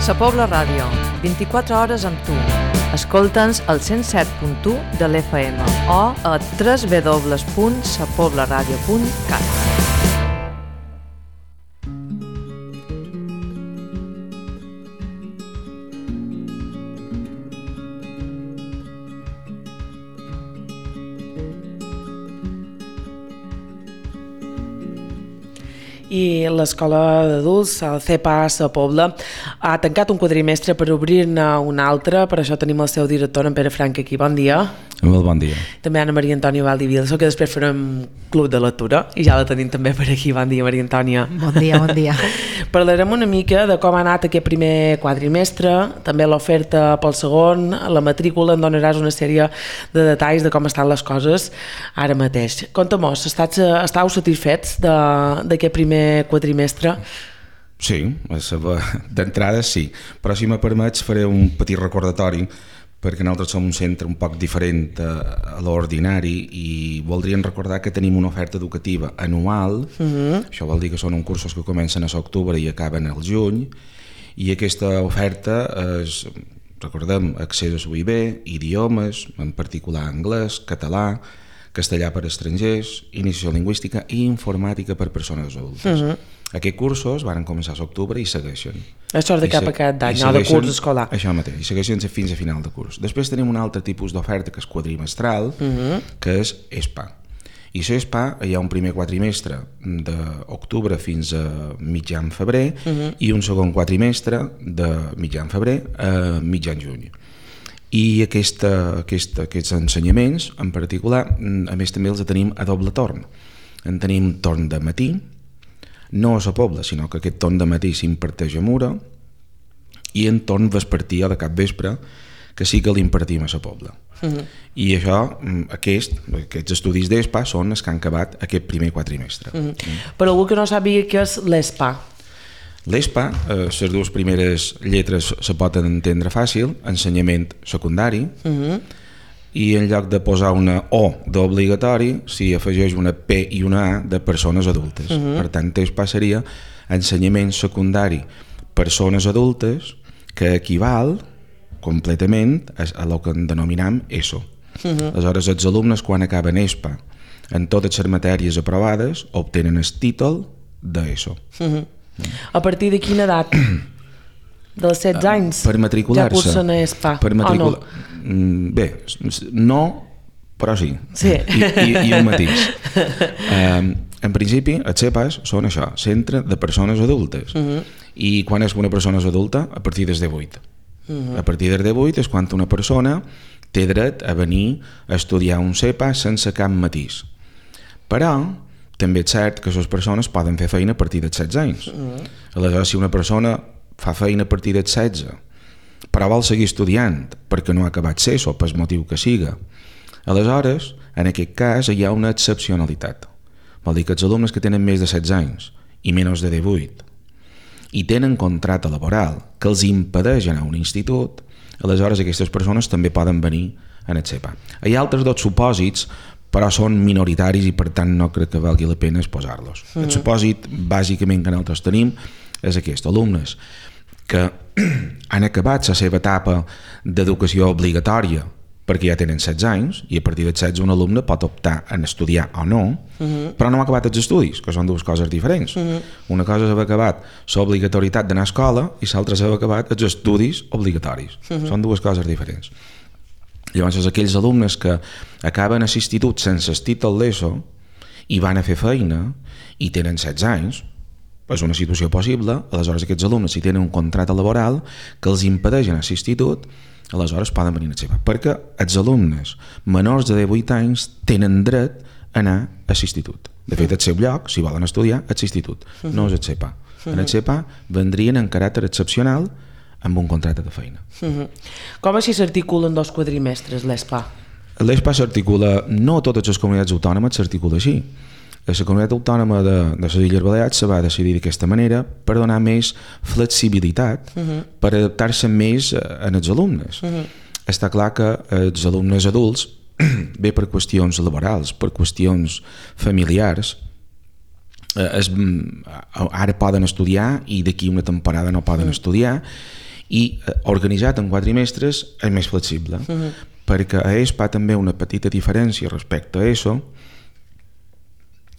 Sa Pobla Ràdio, 24 hores amb tu. Escolta'ns al 107.1 de l'FM o a www.sapoblaradio.cat. I l'escola d'adults, el CEPA Sa Pobla, ha tancat un quadrimestre per obrir-ne un altre. Per això tenim el seu director, en Pere Frank, aquí. Bon dia. Molt bon dia. També Anna Maria Antònia Valdivielso, que després farem club de lectura, i ja la tenim també per aquí. Bon dia, Maria Antònia. Bon dia, bon dia. Parlarem una mica de com ha anat aquest primer quadrimestre, també l'oferta pel segon, la matrícula, en donaràs una sèrie de detalls de com estan les coses ara mateix. Conta-mos, estàu satisfets d'aquest primer quadrimestre? Sí, d'entrada sí, però si me permets faré un petit recordatori perquè nosaltres som un centre un poc diferent a l'ordinari i voldríem recordar que tenim una oferta educativa anual. Això vol dir que són uns cursos que comencen a l'octubre i acaben al juny, i aquesta oferta és, recordem, accés a l'UIB, idiomes, en particular anglès, català, castellà per estrangers, iniciació lingüística i informàtica per persones adultes. Aquests cursos van començar a l'octubre i segueixen. Això és de cap a cap d'any, no de curs escolar. Això mateix, i segueixen fins a final de curs. Després tenim un altre tipus d'oferta que és quadrimestral, que és ESPA. I a l'ESPA hi ha un primer quadrimestre d'octubre fins a mitjan febrer i un segon quadrimestre de mitjan febrer a mitjan juny. I aquests ensenyaments, en particular, a més també els tenim a doble torn. En tenim torn de matí, no a la Pobla, sinó que aquest torn de matí s'imparteix a Mura, i en torn vespertí o de capvespre, que sí que l'impartim a la Pobla. I això, aquests estudis d'ESPA són els que han acabat aquest primer quadrimestre. Per algú que no sàpiga què és l'ESPA. L'ESPA, les dues primeres lletres se poden entendre fàcil, ensenyament secundari, i en lloc de posar una O d'obligatori s'hi afegeix una P i una A de persones adultes. Per tant, ESPA seria ensenyament secundari persones adultes, que equival completament a el que en denominam ESO. Aleshores, els alumnes, quan acaben ESPA en totes les matèries aprovades, obtenen el títol d'ESO. A partir de quina edat? Dels 16 anys? Per matricular-se. Ja cursen a ESPA? Bé, no, però sí. I un matís. En principi, els CEPAs són això, centre de persones adultes. I quan és una persona adulta? A partir dels 18. A partir dels 18 és quan una persona té dret a venir a estudiar un CEPA sense cap matís. Però també és cert que les persones poden fer feina a partir dels 16 anys. Aleshores, si una persona fa feina a partir dels 16, però vol seguir estudiant perquè no ha acabat l'ESO, per motiu que siga, aleshores, en aquest cas, hi ha una excepcionalitat. Vol dir que els alumnes que tenen més de 16 anys i menys de 18 i tenen contracte laboral que els impedeix anar a un institut, aleshores aquestes persones també poden venir en el CEPA. Hi ha altres dos supòsits, però són minoritaris i per tant no crec que valgui la pena exposar-los. El supòsit bàsicament que nosaltres tenim és aquest: alumnes que han acabat la seva etapa d'educació obligatòria perquè ja tenen 16 anys, i a partir dels 16 un alumne pot optar en estudiar o no, però no ha acabat els estudis, que són dues coses diferents. Una cosa és haver acabat l'obligatorietat d'anar a escola i l'altra és haver acabat els estudis obligatoris. Són dues coses diferents. Llavors, aquells alumnes que acaben a l'institut sense el títol d'ESO i van a fer feina i tenen 16 anys, és una situació possible. Aleshores, aquests alumnes, si tenen un contracte laboral que els impedeix anar a l'institut, aleshores poden venir a CEPA, perquè els alumnes menors de 18 anys tenen dret a anar a l'institut. De fet, el seu lloc, si volen estudiar, és l'institut, no és el CEPA. En el CEPA vendrien en caràcter excepcional amb un contracte de feina. Com així s'articulen dos quadrimestres, l'ESPA? L'ESPA s'articula, no a totes les comunitats autònomes s'articula així. La comunitat autònoma de les Illes Balears se va decidir d'aquesta manera per donar més flexibilitat, per adaptar-se més als alumnes. Està clar que els alumnes adults, bé per qüestions laborals, per qüestions familiars, ara poden estudiar i d'aquí una temporada no poden estudiar, i organitzat en quadrimestres és més flexible, perquè a ESPA també una petita diferència respecte a ESO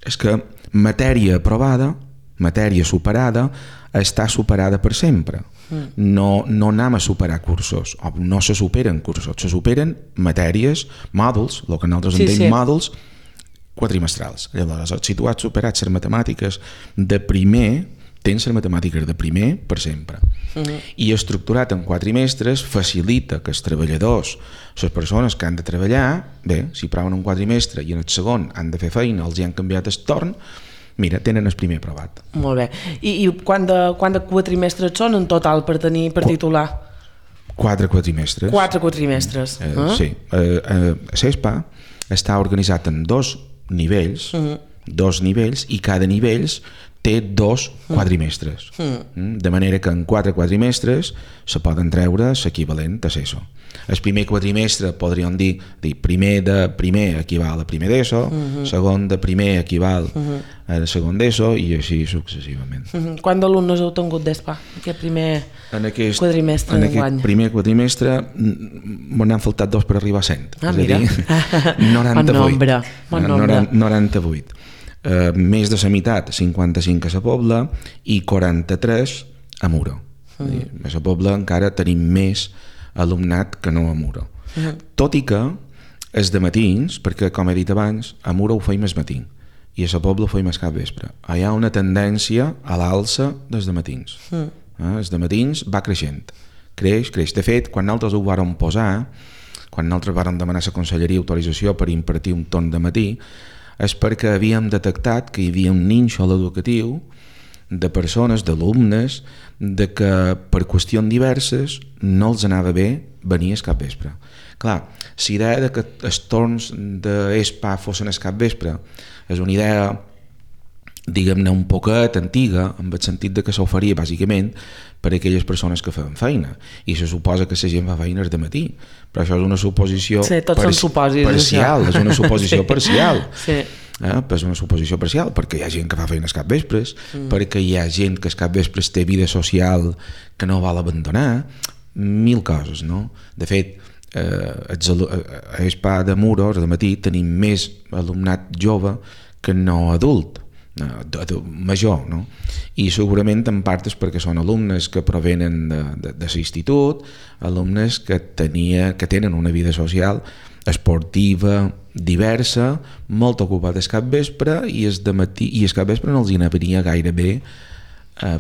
és que matèria aprovada, matèria superada, està superada per sempre. No anem a superar cursos, o no se superen cursos, se superen matèries, mòduls, el que nosaltres entenem mòduls quadrimestrals. Llavors, si tu has superat les matemàtiques de primer, tens les matemàtiques de primer per sempre. I estructurat en quadrimestres facilita que els treballadors, les persones que han de treballar, bé, si proven un quadrimestre i en el segon han de fer feina, els hi han canviat el torn, mira, tenen el primer aprovat. Molt bé. I quant de quadrimestres són en total per titular? 4 quadrimestres. 4 quadrimestres. Sí. CESPA està organitzat en 2 nivells, i cada nivell té 2 quadrimestres. De manera que en 4 quadrimestres se poden treure l'equivalent a l'ESO. El primer quadrimestre podríem dir primer de primer equival a primer d'ESO, segon de primer equival a segon d'ESO i així successivament. Quants d'alumnes heu tingut d'ESPA aquest primer quadrimestre d'enguany? En aquest primer quadrimestre me n'han faltat 2 per arribar a 100. Mira. És a dir, 98. 98. Més de la meitat, 55 a la Pobla i 43 a Muro. A la Pobla encara tenim més alumnat que no a Muro. Tot i que és de matins, perquè com he dit abans, a Muro ho feim el matí i a la Pobla ho feim el capvespre. Hi ha una tendència a l'alça dels matins. Els matins va creixent. Creix. De fet, quan nosaltres ho vàrem posar, quan nosaltres vàrem demanar a la Conselleria autorització per impartir un torn de matí, és perquè havíem detectat que hi havia un nínxol educatiu de persones, d'alumnes, de que per qüestions diverses no els anava bé venir al capvespre. Clar, la idea de que els torns d'ESPA fossin al capvespre és una idea, diguem-ne, un poquet antiga, en el sentit de que s'oferia bàsicament per a aquelles persones que feien feina, i se suposa que la gent fa feines de matí, però això és una suposició parcial, és una suposició parcial. És una suposició parcial, perquè hi ha gent que fa feines capvespres, perquè hi ha gent que al capvespres té vida social que no vol abandonar, 1000 coses, no? De fet, a ESPA de Muro, de matí, tenim més alumnat jove que no adult, major, no? I segurament en part és perquè són alumnes que provenen de l'institut, alumnes que tenen una vida social esportiva, diversa, molt ocupada al capvespre, i al capvespre no els hi venia gaire bé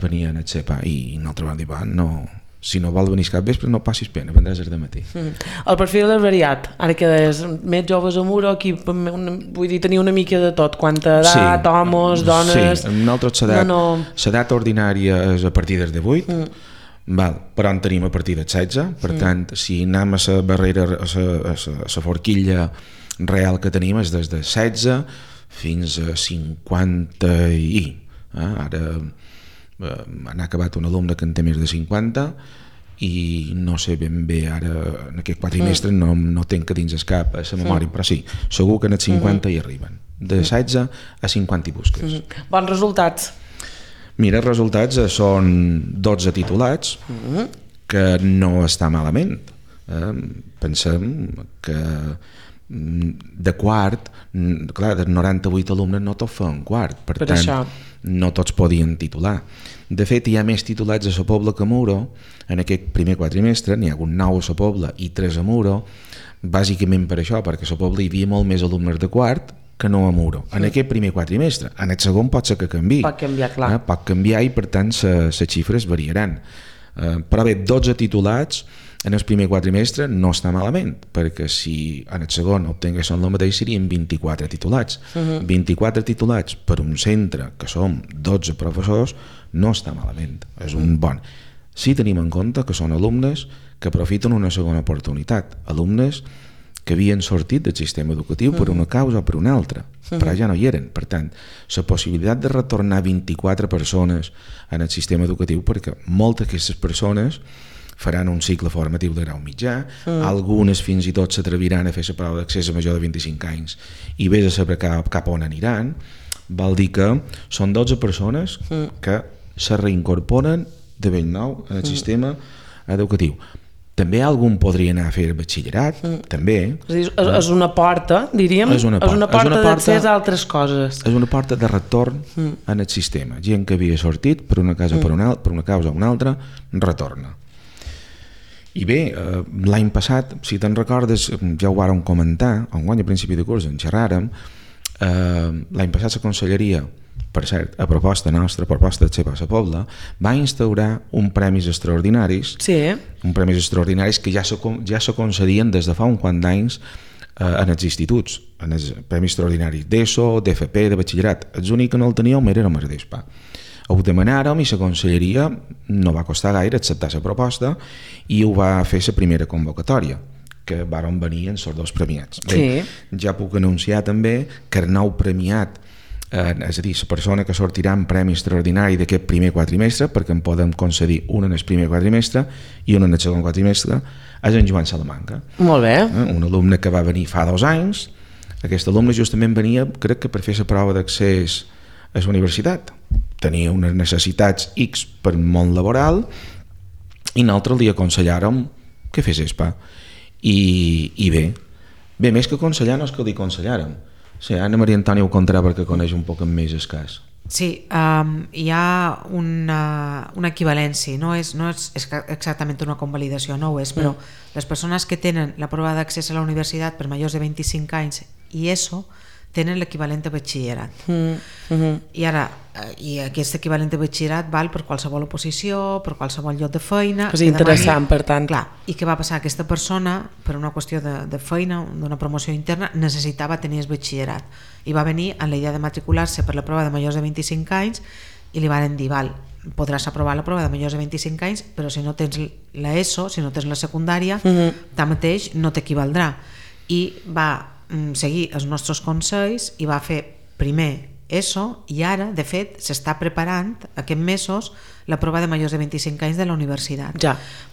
venir a CEPA, i nosaltres vam dir, no, si no vol venir al capvespre no passis pena, vendràs el matí. El perfil és variat, ara que és més joves a Muro, aquí vull dir, tenir una mica de tot, quanta edat, homes, dones... Sí, nosaltres l'edat ordinària és a partir dels 18, però en tenim a partir dels 16, per tant, si anem a la barrera, a la forquilla real que tenim és des de 16 fins a 50 i... Ara han acabat un alumne que en té més de 50 i no sé ben bé ara en aquest quadrimestre no tenc a dins el cap a la memòria, però sí, segur que en els 50 hi arriben, de 16 a 50 i busques. Bons resultats? Mira, els resultats són 12 titulats, que no està malament. Pensem que de quart, clar, de 98 alumnes no tots feien quart, per tant això no tots podien titular. De fet, hi ha més titulats a la Pobla que a Muro. En aquest primer quadrimestre n'hi ha hagut 9 a la Pobla i 3 a Muro, bàsicament per això, perquè a la Pobla hi havia molt més alumnes de quart que no a Muro. En aquest primer quadrimestre. En el segon pot ser que canviï. Pot canviar, clar. Pot canviar i per tant les xifres variaran. Però bé, 12 titulats en el primer quadrimestre no està malament, perquè si en el segon obtinguessin el mateix serien 24 titulats. 24 titulats per un centre que som 12 professors no està malament, és un bon. Si tenim en compte que són alumnes que aprofiten una segona oportunitat, alumnes que havien sortit del sistema educatiu per una causa o per una altra, però ja no hi eren. Per tant, la possibilitat de retornar 24 persones en el sistema educatiu, perquè moltes d'aquestes persones faran un cicle formatiu de grau mitjà, algunes fins i tot s'atreviran a fer la prova d'accés a major de 25 anys i vés a saber cap on aniran, vol dir que són 12 persones que se reincorporen de ben nou en el sistema educatiu. També algun podria anar a fer batxillerat, també. És una porta, diríem, és una porta d'accés a altres coses. És una porta de retorn en el sistema. Gent que havia sortit per una causa o una altra, retorna. I bé, l'any passat, si te'n recordes, ja ho vàrem comentar, enguany a principi de curs en xerràrem, l'any passat la Conselleria, per cert, a proposta nostra, proposta de Xepa a Pobla, va instaurar un premis extraordinaris, un premis extraordinaris que ja se concedien des de fa un quant d'anys en els instituts, en els premis extraordinaris d'ESO, d'FP, de batxillerat. Els únics que no el teníem érem els d'ESPA. Ho demanàrem i la Conselleria no va costar gaire acceptar la proposta i ho va fer la primera convocatòria, que varen venir en els dos premiats. Bé, ja puc anunciar també que el nou premiat, és a dir, la persona que sortirà en premi extraordinari d'aquest primer quadrimestre, perquè en podem concedir un en el primer quadrimestre i un en el segon quadrimestre, és en Joan Salamanca. Molt bé. Un alumne que va venir fa 2 anys. Aquest alumne justament venia, crec que per fer la prova d'accés a la universitat. Tenia unes necessitats X per món laboral i nosaltres li aconsellàrem que fes ESPA. I bé, més que aconsellar no és que li aconsellàrem. Sí, Anna Maria Antònia ho contarà perquè coneix un poc més el cas. Sí, hi ha una equivalència, no és exactament una convalidació, no ho és, però les persones que tenen la prova d'accés a la universitat per majors de 25 anys i ESO tenen l'equivalent a batxillerat. I ara, aquest equivalent a batxillerat val per qualsevol oposició, per qualsevol lloc de feina. És interessant, per tant. Clar, i què va passar? Aquesta persona, per una qüestió de feina, d'una promoció interna, necessitava tenir el batxillerat. I va venir amb la idea de matricular-se per la prova de majors de 25 anys i li van dir, val, podràs aprovar la prova de majors de 25 anys, però si no tens l'ESO, si no tens la secundària, tanmateix no t'equivaldrà. I va seguir els nostres consells i va fer primer ESO i ara, de fet, s'està preparant aquests mesos la prova de majors de 25 anys de la universitat.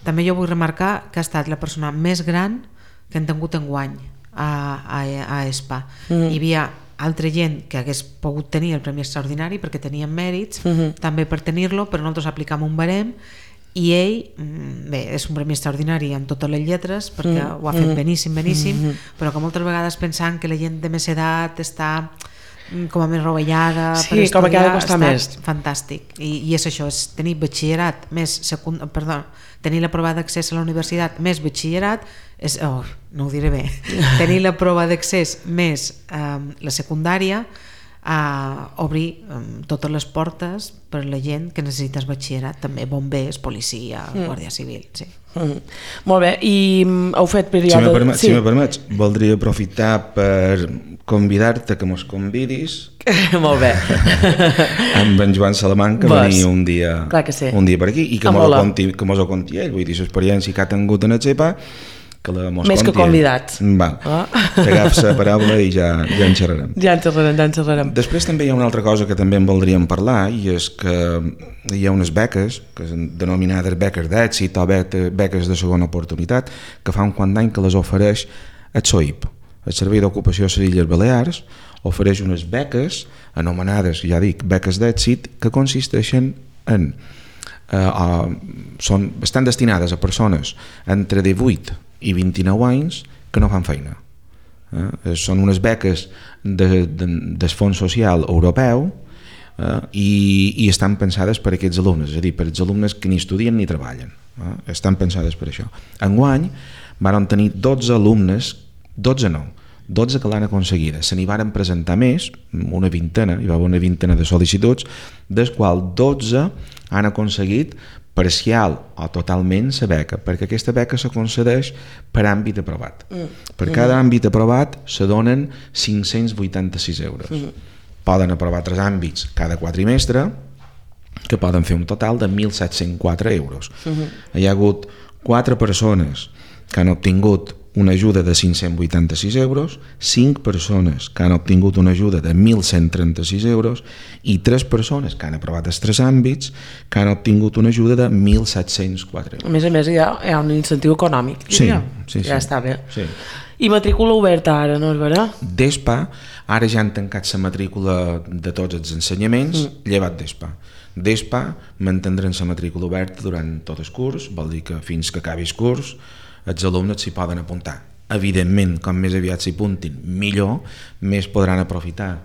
També jo vull remarcar que ha estat la persona més gran que hem tingut enguany a ESPA. Hi havia altra gent que hagués pogut tenir el premi extraordinari perquè tenien mèrits també per tenir-lo, però nosaltres aplicam un barem i ell, bé, és un premi extraordinari en totes les lletres perquè ho ha fet beníssim, però que moltes vegades pensant que la gent de més edat està com a més rovellada per estudiar, com que ha de costar més. Fantàstic, i és això, és tenir batxillerat més tenir la prova d'accés a la universitat més batxillerat no ho diré bé tenir la prova d'accés més la secundària a obrir totes les portes per a la gent que necessites batxillerat, també bombers, policia, guàrdia civil, sí. Molt bé, i heu fet període... Si me permets, voldria aprofitar per convidar-te que mos convidis molt bé amb en Joan Salamanca a venir un dia per aquí i que mos ho conti ell, vull dir, l'experiència que ha tingut en el XEPA més que convidats. T'agafes la paraula i ja en xerrarem. Ja en xerrarem. Després també hi ha una altra cosa que també en voldríem parlar i és que hi ha unes beques que són denominades beques d'èxit o beques de segona oportunitat que fa un quant d'any que les ofereix el SOIP, el Servei d'Ocupació de les Illes Balears, ofereix unes beques anomenades, ja dic, beques d'èxit que consisteixen en estan destinades a persones entre 18 i 29 anys que no fan feina. Són unes beques del Fons Social Europeu i estan pensades per a aquests alumnes, és a dir, per als alumnes que ni estudien ni treballen. Estan pensades per això. Enguany van tenir 12 alumnes, 12 que l'han aconseguida. Se n'hi van presentar més, una vintena, hi va haver una vintena de sol·licituds, dels quals 12 han aconseguit parcial o totalment la beca, perquè aquesta beca se concedeix per àmbit aprovat. Per cada àmbit aprovat se donen 586 euros. Poden aprovar 3 àmbits cada quadrimestre, que poden fer un total de 1.704 euros. Hi ha hagut 4 persones que han obtingut una ajuda de 586 euros, 5 persones que han obtingut una ajuda de 1.136 euros i 3 persones que han aprovat els 3 àmbits que han obtingut una ajuda de 1.704 euros. A més, hi ha un incentiu econòmic. Sí. Ja està bé. Sí. I matrícula oberta ara, no és veritat? D'ESPA, ara ja han tancat la matrícula de tots els ensenyaments, llevat d'ESPA. D'ESPA mantindran la matrícula oberta durant tot el curs, vol dir que fins que acabi el curs els alumnes s'hi poden apuntar. Evidentment, com més aviat s'hi apuntin, millor, més podran aprofitar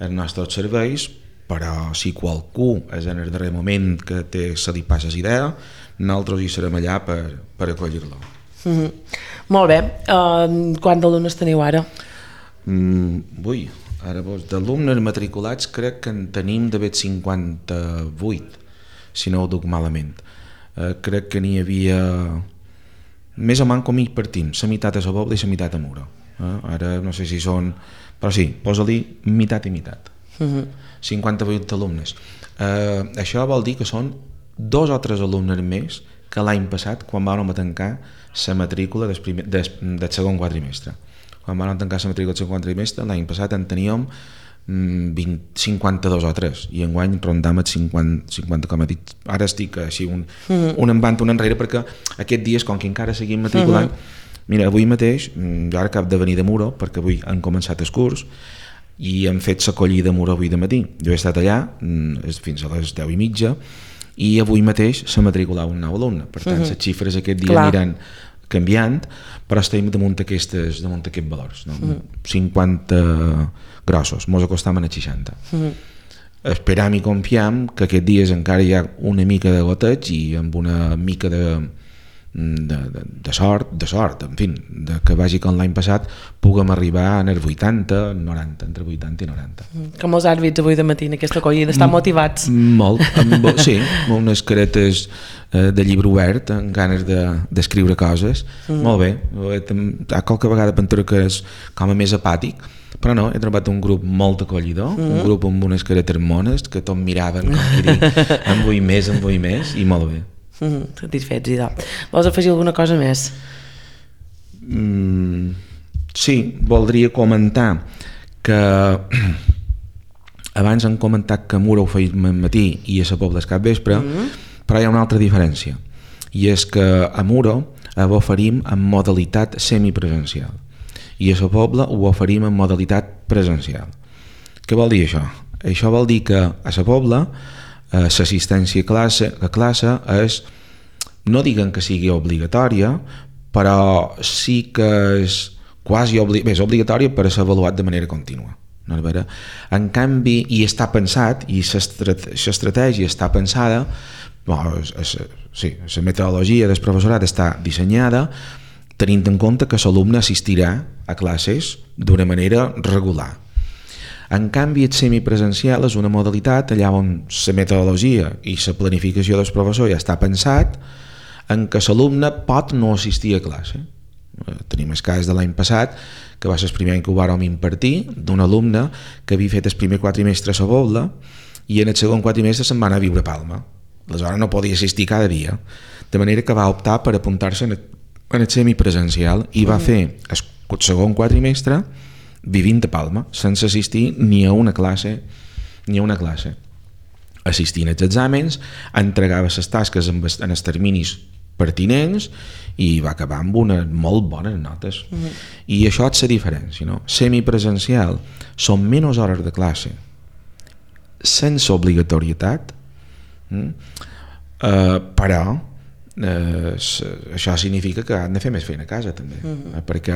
els nostres serveis, però si qualcú és en el darrer moment que se li passa la idea, nosaltres hi serem allà per acollir-lo. Molt bé. Quants d'alumnes teniu ara? Ara d'alumnes matriculats crec que en tenim d'haver 58, si no ho duc malament. Crec que n'hi havia més o menys com hi partim, la meitat a la Pobla i la meitat a Muro. Ara no sé si són, però sí, posa-li meitat i meitat. 58 alumnes. Això vol dir que són 2 o 3 alumnes més que l'any passat quan vam tancar la matrícula del segon quadrimestre. Quan vam tancar la matrícula del segon quadrimestre, l'any passat en teníem 52 o 3 i enguany rondam els 50 com he dit. Ara estic així un envant un enrere perquè aquests dies, com que encara seguim matriculant, mira, avui mateix, jo ara acabo de venir de Muro perquè avui han començat el curs i hem fet l'acollida a Muro avui de matí. Jo he estat allà fins a les 10:30 i avui mateix s'ha matriculat un nou alumne, per tant les xifres aquest dia aniran canviant, però estem damunt aquests valors, no? 50 grossos, mos acostam a 60. Esperam i confiam que aquests dies encara hi ha una mica de goteig i amb una mica de sort, en fi, que vagi com l'any passat puguem arribar en els 80, 90, entre 80 i 90. Com els àrbits avui de matí en aquesta acollida, estan motivats? Molt, sí, amb unes caretes de llibre obert, amb ganes d'escriure coses, molt bé. Qualque vegada penso que és com a més apàtic, però no, he trobat un grup molt acollidor, un grup amb unes caretes mones que tot miraven com que dir, en vull més, i molt bé. Satisfets, idò. Vols afegir alguna cosa més? Sí, voldria comentar que abans han comentat que a Muro ho feim al matí i a la Pobla és cap vespre, però hi ha una altra diferència, i és que a Muro ho oferim en modalitat semipresencial i a la Pobla ho oferim en modalitat presencial. Què vol dir això? Això vol dir que a la Pobla l'assistència a classe és, no diguen que sigui obligatòria, però sí que és quasi és obligatòria per ser avaluat de manera contínua. En canvi, i està pensat, i l'estratègia està pensada, la metodologia del professorat està dissenyada tenint en compte que l'alumne assistirà a classes d'una manera regular. En canvi, el semipresencial és una modalitat allà on la metodologia i la planificació del professor ja està pensat en què l'alumne pot no assistir a classe. Tenim el cas de l'any passat, que va ser el primer any que ho vàrem impartir, d'un alumne que havia fet el primer quadrimestre a la Pobla i en el segon quadrimestre se'n va anar a viure a Palma. Aleshores no podia assistir cada dia, de manera que va optar per apuntar-se en el semipresencial i va fer el segon quadrimestre vivint a Palma, sense assistir ni a una classe, assistint als exàmens, entregava les tasques en els terminis pertinents i va acabar amb unes molt bones notes. I això és la diferència, no? Semipresencial són menys hores de classe sense obligatorietat, però això significa que han de fer més feina a casa també, perquè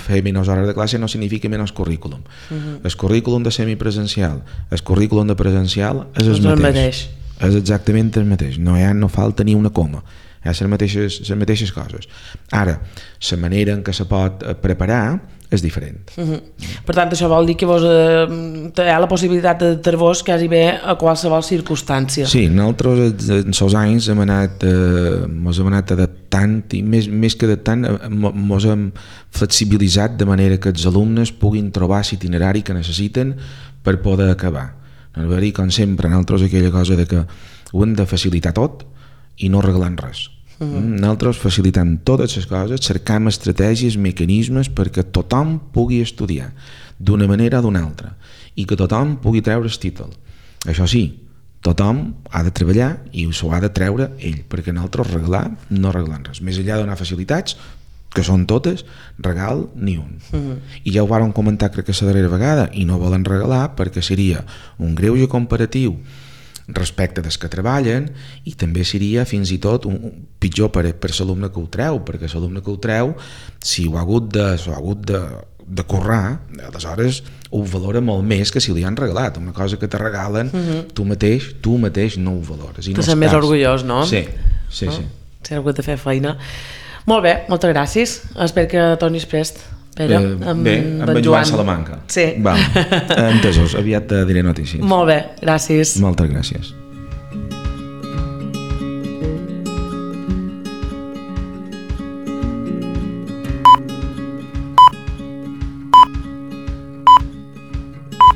fer menys hores de classe no significa menys currículum. El currículum de semipresencial, el currículum de presencial és el mateix, és exactament el mateix, no falta ni una coma, hi ha les mateixes coses. Ara, la manera en què se pot preparar és diferent. Per tant, això vol dir que vos hi ha la possibilitat d'adaptar-vos quasi bé a qualsevol circumstància. Sí, nosaltres en els anys mos hem anat adaptant i més que adaptant mos hem flexibilitzat de manera que els alumnes puguin trobar l'itinerari que necessiten per poder acabar. Com sempre, nosaltres aquella cosa de que ho hem de facilitar tot i no arreglant res. Nosaltres facilitem totes les coses, cercam estratègies, mecanismes perquè tothom pugui estudiar d'una manera o d'una altra i que tothom pugui treure el títol. Això sí, tothom ha de treballar i s'ho ha de treure ell, perquè nosaltres regalar no arreglam res. Més enllà de donar facilitats, que són totes, regal ni un. I ja ho vàrem comentar crec que la darrera vegada, i no volen regalar perquè seria un greuge comparatiu respecte dels que treballen, i també seria fins i tot pitjor per l'alumne que ho treu, perquè l'alumne que ho treu, si ho ha hagut de currar, aleshores ho valora molt més que si li han regalat. Una cosa que te regalen, tu mateix no ho valores. Tu sents més orgullós, no? Sí. Si has hagut de fer feina. Molt bé, moltes gràcies. Espero que tornis prest, Pere, amb en Joan Salamanca. Sí. Entesos, aviat te diré notícies. Molt bé, gràcies. Moltes gràcies.